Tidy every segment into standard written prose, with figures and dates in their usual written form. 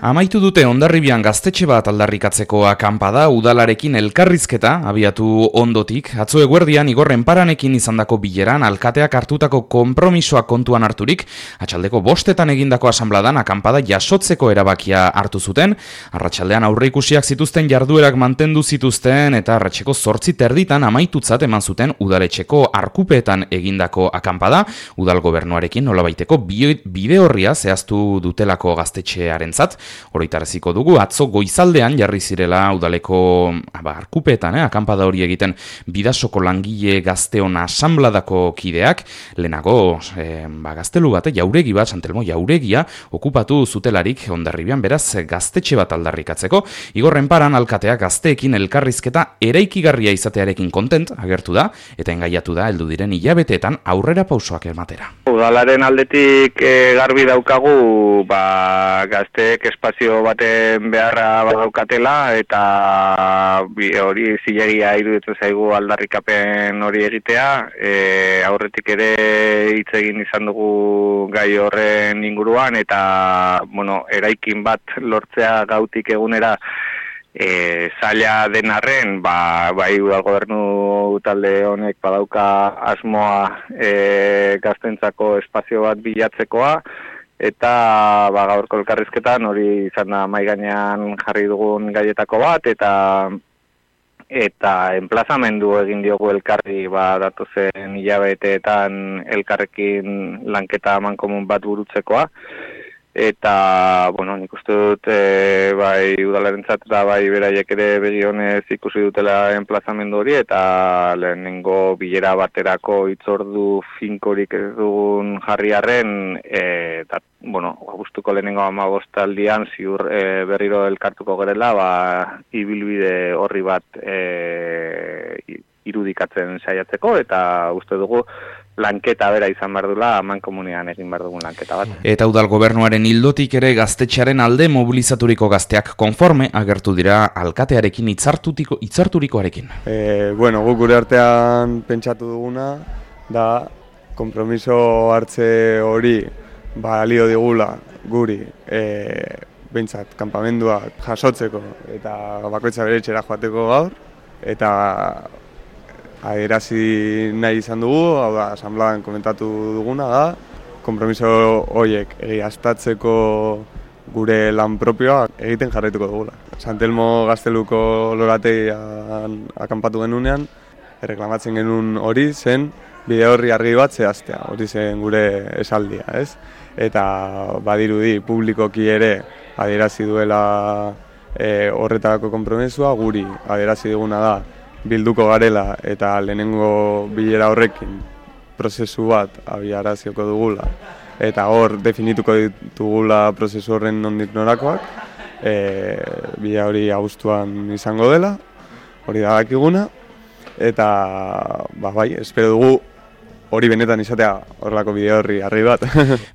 Amaitu dute Hondarribian gaztetxe bat aldarrikatzeko akanpada udalarekin elkarrizketa abiatu ondotik. Atzo eguerdian Igor Enparanekin izandako bileran alkateak hartutako konpromisoa kontuan harturik, atxaldeko 5 egindako asanbladan akanpada jasotzeko erabakia hartu zuten. Arratsaldean aurreikusiak zituzten jarduerak mantendu zituzten eta arratseko 8:30 amaitutzat eman zuten udaletxeko arkupeetan egindako akanpada, udal gobernuarekin nolabaiteko bide horria zehaztu dutelako gaztetxearentzat. Oroitaraziko dugu, atzo goizaldean jarri zirela udaleko arkupeetan, akanpada hori egiten Bidasoko langile gazteon asanbladako kideak, lehenago gaztelu bat, jauregi bat, Santelmo jauregia, okupatu zutelarik Hondarribian, beraz gaztetxe bat aldarrikatzeko. Igor Enparan alkateak gazteekin elkarrizketa eraikigarria izatearekin kontent agertu da, eta engaiatu da heldu diren hilabeteetan aurrera pausoak ematera. Udalaren aldetik garbi daukagu gazteek espazio baten beharra badaukatela eta hori zilegia iruditzen zaigu aldarrikapen hori egitea. Aurretik ere hitz egin izan dugu gai horren inguruan eta eraikin bat lortzea gautik egunera zaila den arren, bai udal gobernu talde honek badauka asmoa gaztentzako espazio bat bilatzekoa, eta gaurko elkarrizketan hori izan da mahai gainean jarri dugun gaietako bat, eta enplazamendu egin diogu elkarri datozen hilabeteetan elkarrekin lanketa amankomun bat burutzekoa. Eta, nik uste dut, bai udalarentzat eta bai beraiek ere begionez ikusi dutela enplazamendu hori, eta lehenengo bilera baterako hitzordu finkorik ez dugun jarriarren, eta, abuztuko lehenengo 15 aldian ziur berriro elkartuko gerela, ibilbide horri bat irudikatzen saiatzeko, eta uste dugu, lanketa bera izan behar dula, amankomunean egin behar dugun lanketa bat. Eta udal gobernuaren ildotik ere gaztetxearen alde mobilizaturiko gazteak konforme agertu dira alkatearekin hitzarturikoarekin. Guk gure artean pentsatu duguna, da konpromiso hartze hori balio digula guri behintzat kanpamenduak jasotzeko eta bakoitza bere etxera joateko gaur, eta adierazi nahi izan dugu, hau da, asanbladan komentatu duguna da, konpromiso horiek egiaztatzeko gure lan propioa egiten jarraituko dugula. Santelmo gazteluko lorategian akanpatu genunean, erreklamatzen genuen hori zen bide horri argi bat zehaztea, hori zen gure esaldia, ez? Eta badirudi publikoki ere adierazi duela horretarako konpromisua, guri adierazi diguna da bilduko garela eta lehenengo bilera horrekin prozesu bat abiarazioko dugula eta hor definituko ditugula prozesu horren nondik norakoak, bilera hori abuztuan izango dela, hori da dakiguna, eta espero dugu hori benetan izatea horrelako bide horri argi bat.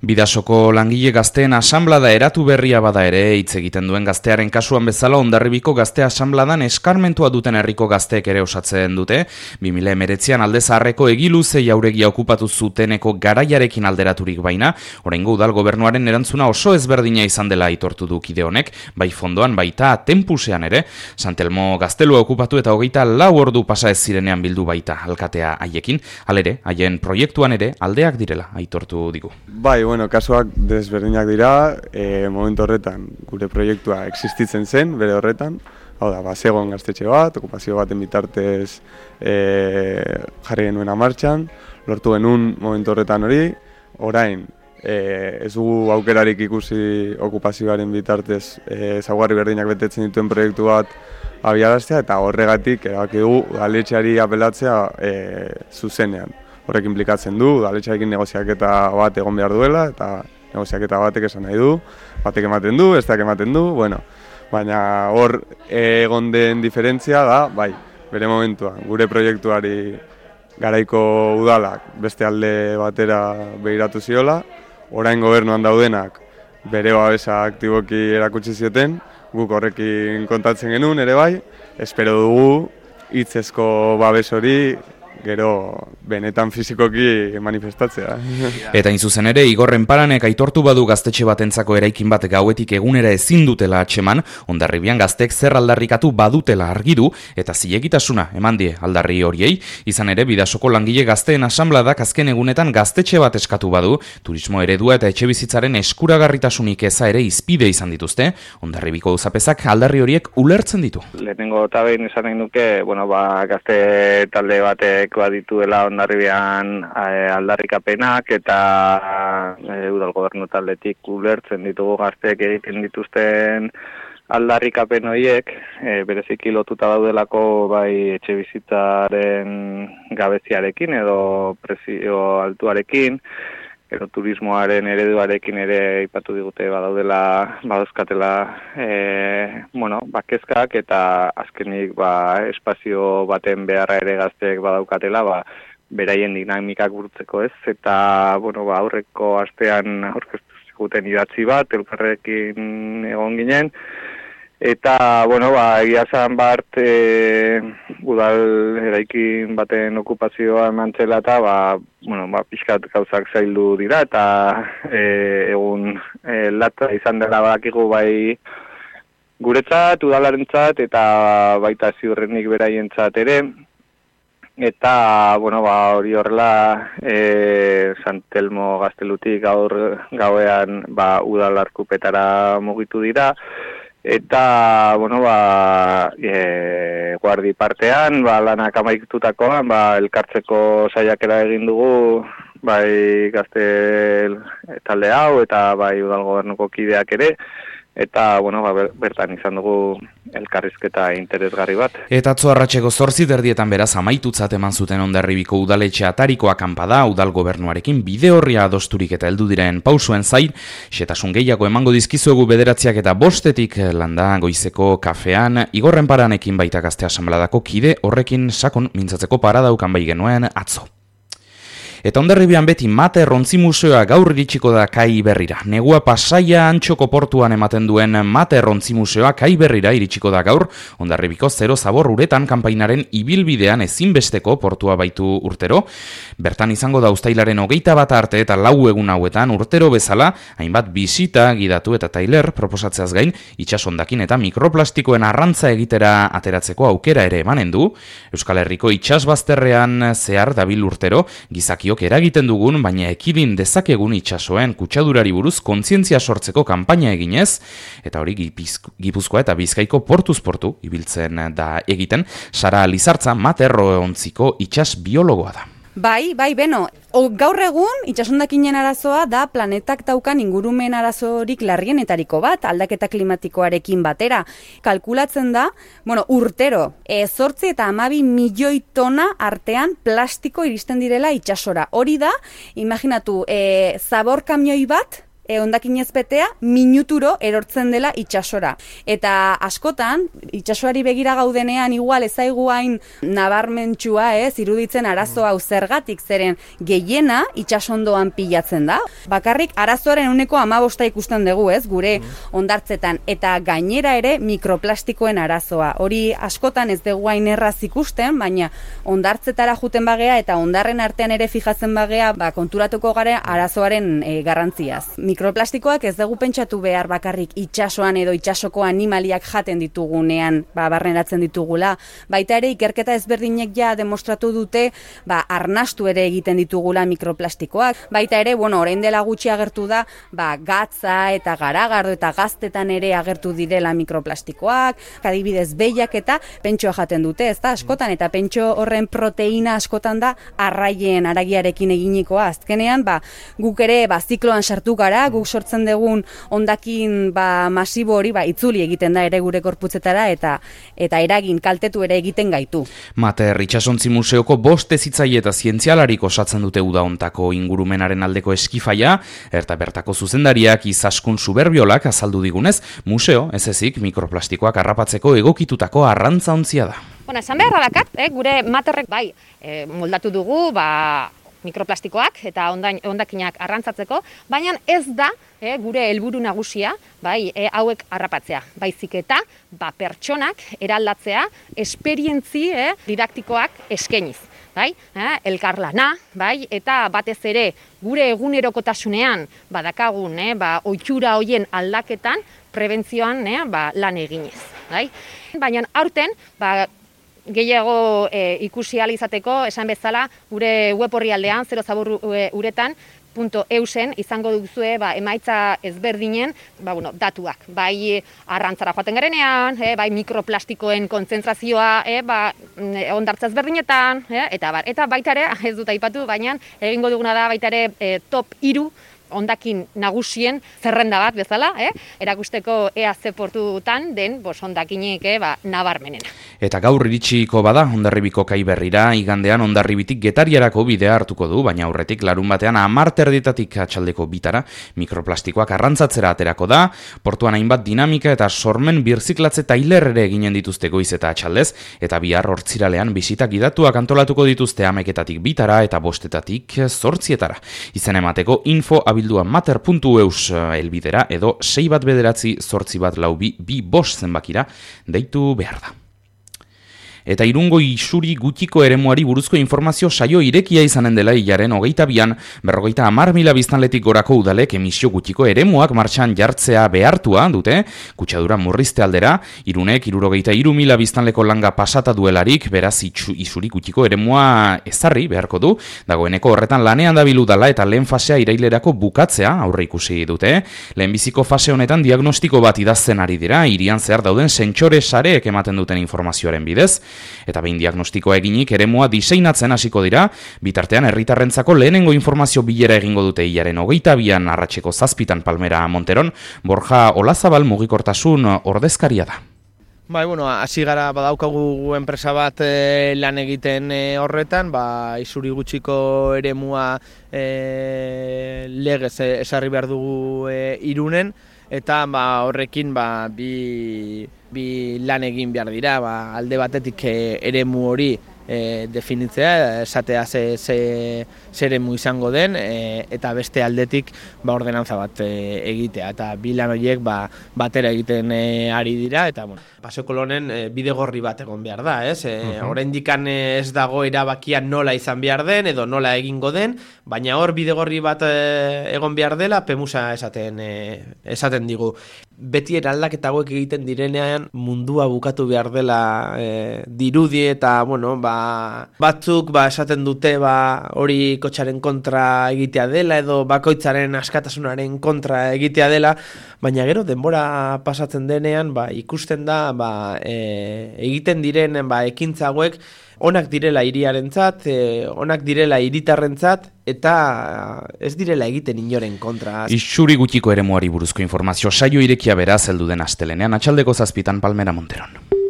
Bidasoko langile gazteen asanblada eratu berria bada ere, hitz egiten duen gaztearen kasuan bezala Hondarribiko gazte asanbladan eskarmentua duten herriko gazteek ere osatzen dute. 2019an alde zaharreko egiluze jauregia okupatu zuteneko garaiarekin alderaturik baina, oraingo udal gobernuaren erantzuna oso ezberdina izan dela aitortu du kide honek, bai fondoan baita tempusean ere, Santelmo gaztelua okupatu eta 24 ordu pasa ez zirenean bildu baita alkatea haiekin, halere, haien proiektuan ere aldeak direla aitortu digu. Kasuak desberdinak dira, momentu horretan gure proiektua existitzen zen, bere horretan, hau da, bazegon gaztetxe bat, okupazio baten bitartez jarri genuena martxan, lortu genuen momentu horretan hori, orain ez dugu aukerarik ikusi okupazioaren bitartez ezaugarri berdinak betetzen dituen proiektu bat abiaraztea, eta horregatik erabaki dugu udaletxeari apelatzea zuzenean. Horrek implikatzen du, udaletxearekin negoziaketa bat egon behar duela, eta negoziaketa batek esan nahi du, batek ematen du, besteak ematen du, baina hor egon den diferentzia da, bere momentuan, gure proiektuari garaiko udalak beste alde batera begiratu ziola, orain gobernuan daudenak bere babesa aktiboki erakutsi zioten, guk horrekin kontatzen genuen ere bai, espero dugu hitzezko babes hori gero benetan fizikoki manifestatzea. Eta hain zuzen ere, Igorren Paranek aitortu badu gaztetxe batentzako eraikin bat gauetik egunera ezin dutela atxeman, Hondarribian gaztek zer aldarrikatu badutela argi du eta zilegitasuna eman die aldarri horiei. Izan ere, Bidasoko langile gazteen asanbladak azken egunetan gaztetxe bat eskatu badu, turismo eredua eta etxebizitzaren eskuragarritasunik eza ere izpide izan dituzte, Hondarribiko auzapezak aldarri horiek ulertzen ditu. Lehenengo eta behin esan nahi nuke, gazte talde batek badituela Hondarribian aldarrikapenak eta udal gobernu taldetik ulertzen ditugu gazteek egiten dituzten aldarrikapen horiek, bereziki lotuta daudelako bai etxebizitzaren gabeziarekin edo prezio altuarekin, edo turismoaren ereduarekin ere aipatu digute badauzkatela kezkak eta azkenik espazio baten beharra ere gazteek badaukatela beraien dinamikak burutzeko ez, eta aurreko astean aurkeztu ziguten idatzi bat, elkarrekin egon ginen, eta, egia zan bart, udal eraikin baten okupazioa eman zela eta, pixkat gauzak zaildu dira, eta egun latza izan dela badakigu bai guretzat, udalarentzat, eta baita ziurrenik beraientzat ere, eta, hori horrela, San Telmo Gaztelutik gauean udal arkupetara mugitu dira, eta, guardi partean, lanak amaitutakoan, elkartzeko saiakera egin dugu, bai gazte talde hau, eta bai udal gobernuko kideak ere, eta, bertan izan dugu elkarrizketa interesgarri bat. Eta atzo arratseko 8:00 beraz amaitutzat eman zuten Hondarribiko udaletxe atariko akanpada udal gobernuarekin bide horria adosturik eta heldu diren pausuen zain, xetasun gehiago emango dizkizuegu 9:00 eta 5:00 landa goizeko kafean, Igorren Paranekin baita gazte asanbladako kide horrekin sakon mintzatzeko paradaukan bai genuen atzo. Eta Hondarribian beti Mate Rontzi Museoa gaur iritsiko da Kai Berrira. Negua Pasaia Antxoko portuan ematen duen Mate Rontzi Museoa Kai Berrira iritsiko da gaur, Hondarribiko Zero Zabor uretan kanpainaren ibilbidean ezinbesteko portua baitu urtero. Bertan izango da uztailaren 21 arte eta 4 egun hauetan urtero bezala, hainbat bisita, gidatu eta tailer proposatzeaz gain, itsasondakin eta mikroplastikoen arrantza egitera ateratzeko aukera ere emanen du. Euskal Herriko itsasbazterrean zehar dabil urtero, gizaki eragiten dugun, baina ekidin dezakegun itsasoen kutsadurari buruz kontzientzia sortzeko kanpaina eginez, eta hori Gipuzkoa eta Bizkaiko portuz portu ibiltzen da egiten, Sara Lizartza Materrontziko itsas biologoa da. Bai, beno, gaur egun itsasondakinen arazoa da planetak daukan ingurumen arazorik larrienetariko bat, aldaketa klimatikoarekin batera. Kalkulatzen da, urtero, 8 eta 12 milioi tona artean plastiko iristen direla itsasora. Hori da, imaginatu, zabor kamioi bat, hondakinez betea, minuturo erortzen dela itsasora. Eta askotan, itsasoari begira gaudenean igual ezaigu hain nabarmentsua, iruditzen arazo hau zergatik, zeren gehiena itsasondoan pilatzen da. Bakarrik arazoaren 15% ikusten dugu, gure hondartzetan, eta gainera ere mikroplastikoen arazoa. Hori askotan ez dugu hain erraz ikusten, baina hondartzetara juten bagea eta hondarren artean ere fijatzen bagea, konturatuko garen arazoaren garrantziaz. Mikroplastikoak ez dugu pentsatu behar bakarrik itsasoan edo itsasoko animaliak jaten ditugunean, barneratzen ditugula. Baita ere ikerketa ezberdinek ja demostratu dute, arnastu ere egiten ditugula mikroplastikoak. Baita ere, orain dela gutxi agertu da, gatza eta garagardo eta gaztetan ere agertu direla mikroplastikoak, adibidez behiak eta pentsoa jaten dute, ezta askotan, eta pentso horren proteina askotan da arraien aragiarekin eginikoa. Azkenean, guk ere zikloan sartu gara, guk sortzen dugun hondakin masibo hori itzuli egiten da ere gure korputzetara eta eragin kaltetu ere egiten gaitu. Mater Itsasontzi Museoko 5 hezitzaile eta zientzialarik osatzen dute uda hontako ingurumenaren aldeko eskifaia, eta bertako zuzendariak Izaskun Suberbiolak azaldu digunez, museo ez ezik mikroplastikoak harrapatzeko egokitutako arrantzaontzia da. Esan beharra dakat, gure materrek moldatu dugu, mikroplastikoak eta hondakinak arrantzatzeko, baina ez da gure helburu nagusia, hauek harrapatzea. Baizik eta pertsonak eraldatzea esperientzi didaktikoak eskainiz. bai, elkarlana, bai, eta batez ere gure egunerokotasunean badakagun, ohitura hoien aldaketan prebentzioan lan eginez, bai. Baina aurten, gehiago ikusi ahal izateko, esan bezala, gure web orrialdean, zero zabur uretan, .eusen izango duzue emaitza ezberdinen datuak. Bai arrantzara joaten garenean, bai mikroplastikoen kontzentrazioa hondartza ezberdinetan, eta baita ere, ez dut aipatu, baina egingo duguna da baita ere top 3 hondakin nagusien zerrenda bat bezala, erakusteko ea ze portutan den hondakinik nabarmenena. Eta gaur iritsiko bada Hondarribiko kai berrira, igandean Hondarribitik Getariarako bidea hartuko du, baina aurretik larun batean 10:00 atxaldeko bitara mikroplastikoak arrantzatzera aterako da, portuan hainbat dinamika eta sormen birziklatze tailer ere eginen dituzte goiz eta atxaldez, eta bihar hortziralean bisita gidatuak antolatuko dituzte 11:00 bitara eta 5:00 8:00. Izen emateko info abildua mater.eus elbidera edo 6198242 zenbakira deitu behar da. Eta Irungo isuri gutxiko eremuari buruzko informazio saio irekia izanen dela hilaren 22an 50.000 biztanletik gorako udalek emisio gutxiko eremuak martxan jartzea behartua dute, kutsadura murrizte aldera, Irunek 63.000 biztanleko langa pasata duelarik, beraz isuri gutxiko eremua ezarri beharko du, dagoeneko horretan lanean dabil udala eta lehen fasea irailerako bukatzea aurre ikusi dute, lehenbiziko fase honetan diagnostiko bat idazten ari dira, hirian zehar dauden sentsore sareek ematen duten informazioaren bidez, eta behin diagnostikoa eginik eremua diseinatzen hasiko dira, bitartean herritarrentzako lehenengo informazio bilera egingo dute hilaren 22an arratseko 7 Palmera Monteron, Borja Olazabal mugikortasun ordezkaria da. Hasi gara badaukagu enpresa bat lan egiten horretan, isuri gutxiko eremua legez esarri behar dugu Irunen, eta horrekin bi lan egin behar dira, alde batetik eremu hori definitzea, esatea ze eremu izango den, eta beste aldetik ordenantza bat egitea, eta bi lan horiek batera egiten ari dira, eta Paseo Kolonen bidegorri bat egon behar da, ez? Oraindik ez dago erabakia nola izan behar den, edo nola egingo den, baina hor bidegorri bat egon behar dela, pemusa esaten digu. Beti eraldaketa hauek egiten direnean mundua bukatu behar dela dirudi eta, batzuk esaten dute hori kotxaren kontra egitea dela edo bakoitzaren askatasunaren kontra egitea dela, baina gero denbora pasatzen denean ikusten da egiten diren ekintza hauek onak direla hiriarentzat, onak direla hiritarrentzat eta ez direla egiten inoren kontra. Isuri gutxiko eremuari buruzko informazio saio irekia beraz heldu den astelenean atxaldeko 7 Palmera Monteron.